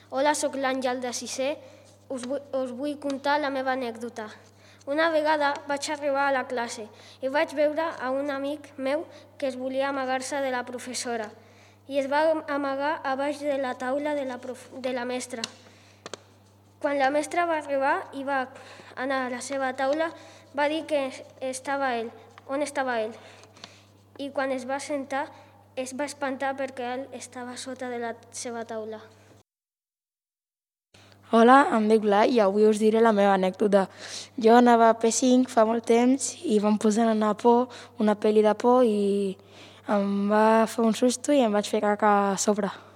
Hola, sóc l'Àngel de sisè. Us vull contar la meva anècdota. Una vegada vaig arribar a la classe i vaig veure a un amic meu que es volia amagar-se de la professora i es va amagar a baix de la taula de la mestra. Quan la mestra va arribar i va anar a la seva taula, va dir que on estava ell. I quan es va sentar, es va espantar perquè ell estava sota de la seva taula. Hola, em dic Blai i avui us diré la meva anècdota. Jo anava a P5 fa molt temps i vam posar una pel·li de por i em va fer un susto i em vaig fer caca a sobre.